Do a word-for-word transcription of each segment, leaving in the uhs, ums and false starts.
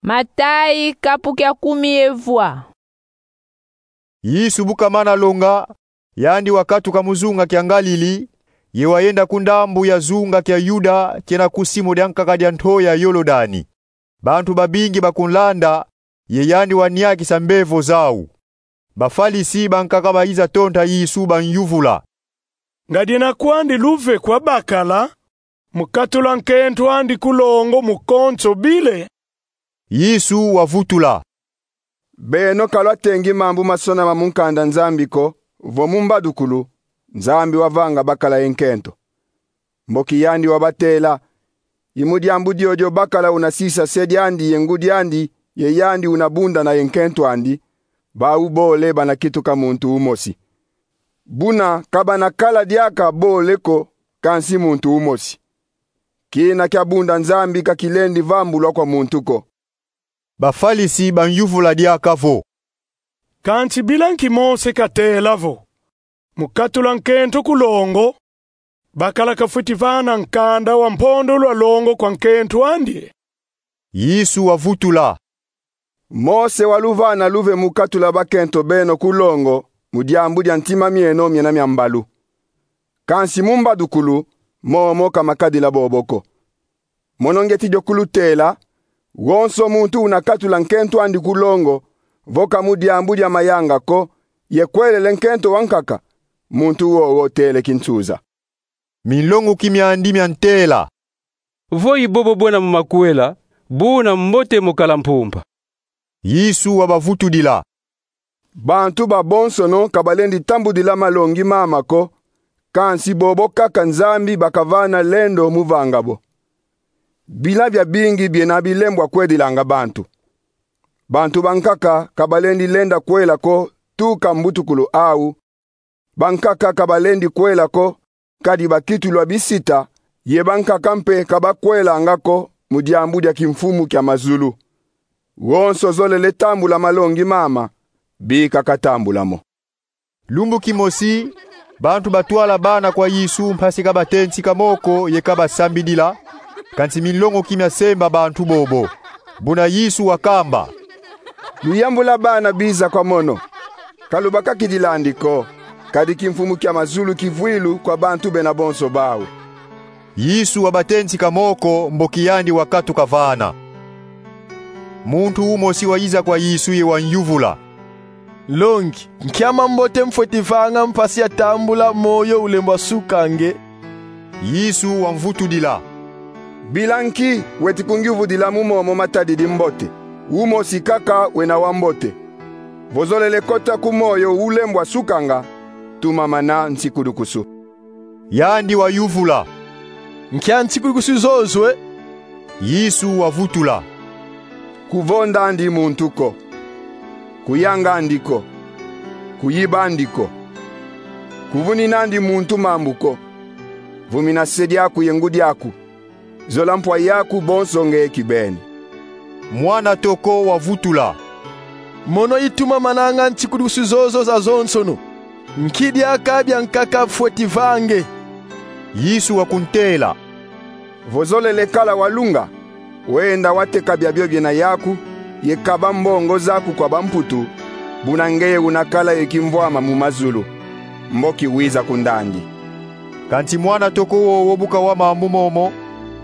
Matayi, kapu kia kumi ye vwa. Yesu bu kamana longa, yandi wakatuka mu zunga kia Ngalili, ye wayenda ku ndambu ya zunga kia Yuda kiena ku simu diankaka dia nto ya Yolodani. Bantu babingi bakunlanda, ye yandi waniakisa mbevo zau. Bafalisi bankaka bayiza tonta Yesu, banyuvula: Nga diena kwandi luve kwa bakala mu katula nkento andi ku longo mu konso bile? Yesu wavutula: Beno ka lwatengi mambu masonama mu nkanda Nzambi ko, vo mu mbadukulu Nzambi wavanga bakala ye nkento. Mboki yandi wabatela: I mu diambu diodio bakala una sisa se diandi ye ngudi andi, ye yandi una bundana ye nkento andi, bau bole bana kituka muntu umosi. Buna ka bana kala diaka bole ko, kansi muntu umosi. Kina kia bunda Nzambi ka kilendi vambulwa kwa muntu ko. Bafalisi banyuvula diaka vo: Kansi bila nki Mose katela vo, mu katula nkento ku longo, bakala kafweti vana nkanda wa mpondolo a longo kwa nkento andi? Yesu wavutula: Mose waluvana luve mu katula bakento beno ku longo mu diambu dia ntima mieno miena mia mbalu. Kansi mu mbadukulu, momo ka makadila bobo ko. Mono ngieti dio kulutela: wonso muntu una katula nkento andi ku longo, vo ka mu diambu dia mayanga ko, ye kwelele nkento wankaka, muntu wowo tele kinsuza. Minlongoki miandi miantela: Vo i bobo bwena mu makwela, buna mbote mu kala mpumpa. Yesu wabavutudila: Bantu babonsono ka balendi tambudila malongi mama ko, kansi bobo kaka Nzambi bakavana lendo mu vanga bo. Bila biabingi biena bilembwa kwedilanga bantu. Bantu bankaka ka balendi lenda kwela ko tuka mbutukulu au, bankaka ka balendi kwela ko, kadi bakitulwa bisita, ye bankaka mpe ka bakwelanga ko mu diambu dia kimfumu kia mazulu. Wonso zolele tambula malongi mama, bika katambula mo. Lumbu kimosi, bantu batwala bana kwa Yesu mpasi kabatentika moko ye kabasambidila, kansi minlongoki miasemba bantu bobo. Buna Yesu wakamba: Luyambula bana biza kwa mono. Ka lubakakidila andi ko, kadi kimfumu kia mazulu kivwilu kwa bantu bena bonso bau. Yesu wabatentika moko, mboki yandi wakatuka vana. Muntu umosi wayiza kwa Yesu ye wanyuvula: Nlongi, nki a mambote mfweti vanga mpasi ya tambula moyo ulembwa suka nge? Yesu wamvutudila: Bila nki weti kungiuvudila mu momo matadidi mbote? Umosi kaka wena wa mbote. Vo zolele kota ku moyo ulembwa sukanga, tumamana nsikudukusu. Yandi wayuvula: Nki a nsikudukusu zozo e? Yesu wavutula: Kuvonda andi muntu ko, kuyanga andi ko, kuyiba andi ko, kuvunina andi muntu mambu ko, vumina se diaku ye ngudi aku, zola mpwa yaku bonso nge kibeni. Mwana toko wavutula: Mono i tumamananga nsikudukusu zozo zazonsono. Nki diaka biankaka mfweti vange? Yesu wakuntela: Vo zolele kala wa lunga, wenda wateka biabio biena yaku, ye kaba mbongo zaku kwa bamputu, buna ngeye una kala ye kimvwama mu mazulu, mboki wiza kundandi. Kansi mwana toko wowo bu kawa mambu momo,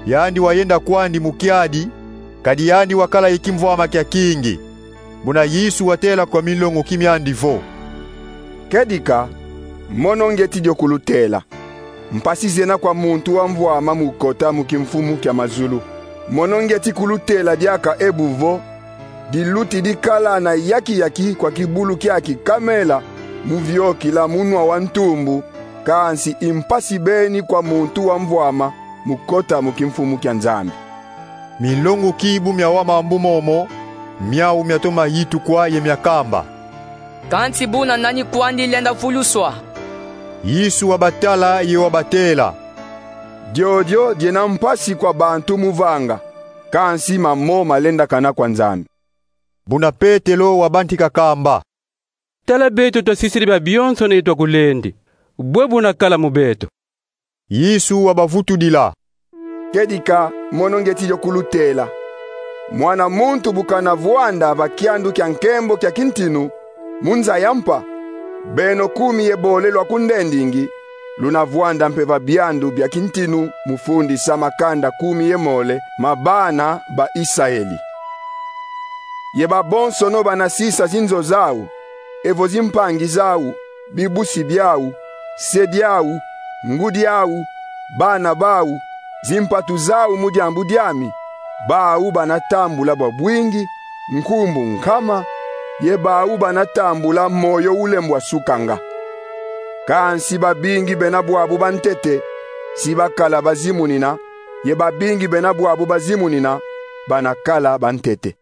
yandi wayenda kwandi mu kiadi, kadi yandi wakala ye kimvwama kia kingi. Buna Yesu watela kwa minlongoki miandi vo: Kedika, mono ngieti dio kulutela: mpasi zena kwa muntu wa mvwama mu kota mu kimfumu kia mazulu. Mono ngieti kulutela diaka ebu vo, diluti dikala na yaki-yaki kwa kibulu kiaki kamela mu viokila munwa wa ntumbu, kansi i mpasi beni kwa muntu wa mvwama mu kota mu kimfumu kia Nzambi. Minlongoki bu miawa mambu momo, miau miatoma yitukwa ye miakamba: Kansi buna nani kwandi lenda vuluswa? Yesu wabatala ye wabatela: Diodio diena mpasi kwa bantu mu vanga, kansi mamo malendakana kwa Nzambi. Buna Petelo wabantika kamba: Tala, beto twasisidi biabionsono ye twakulendi. Bwe buna kala mu beto? Yesu wabavutudila: Kedika, mono ngieti dio kulutela: Mwana muntu bu kana vwanda va kiandu kia nkembo kia kintinu mu nza ya mpa, beno kumi ye bole lwa ku ndendingi luna vwanda mpe va biandu bia kintinu mu fundisa makanda kumi ye mole ma bana ba Isaeli. Ye babonsono bana sisa zinzo zau, evo zimpangi zau, bibusi biau, se diau, ngudi au, bana bau, zimpatu zau mu diambu diami, bau bana tambula bwa bwingi nkumbu nkama, ye bau bana tambula moyo ulembwa sukanga. Kansi babingi bena bwabu bantete si bakala bazimunina, ye babingi bena bwabu bazimunina bana kala bantete.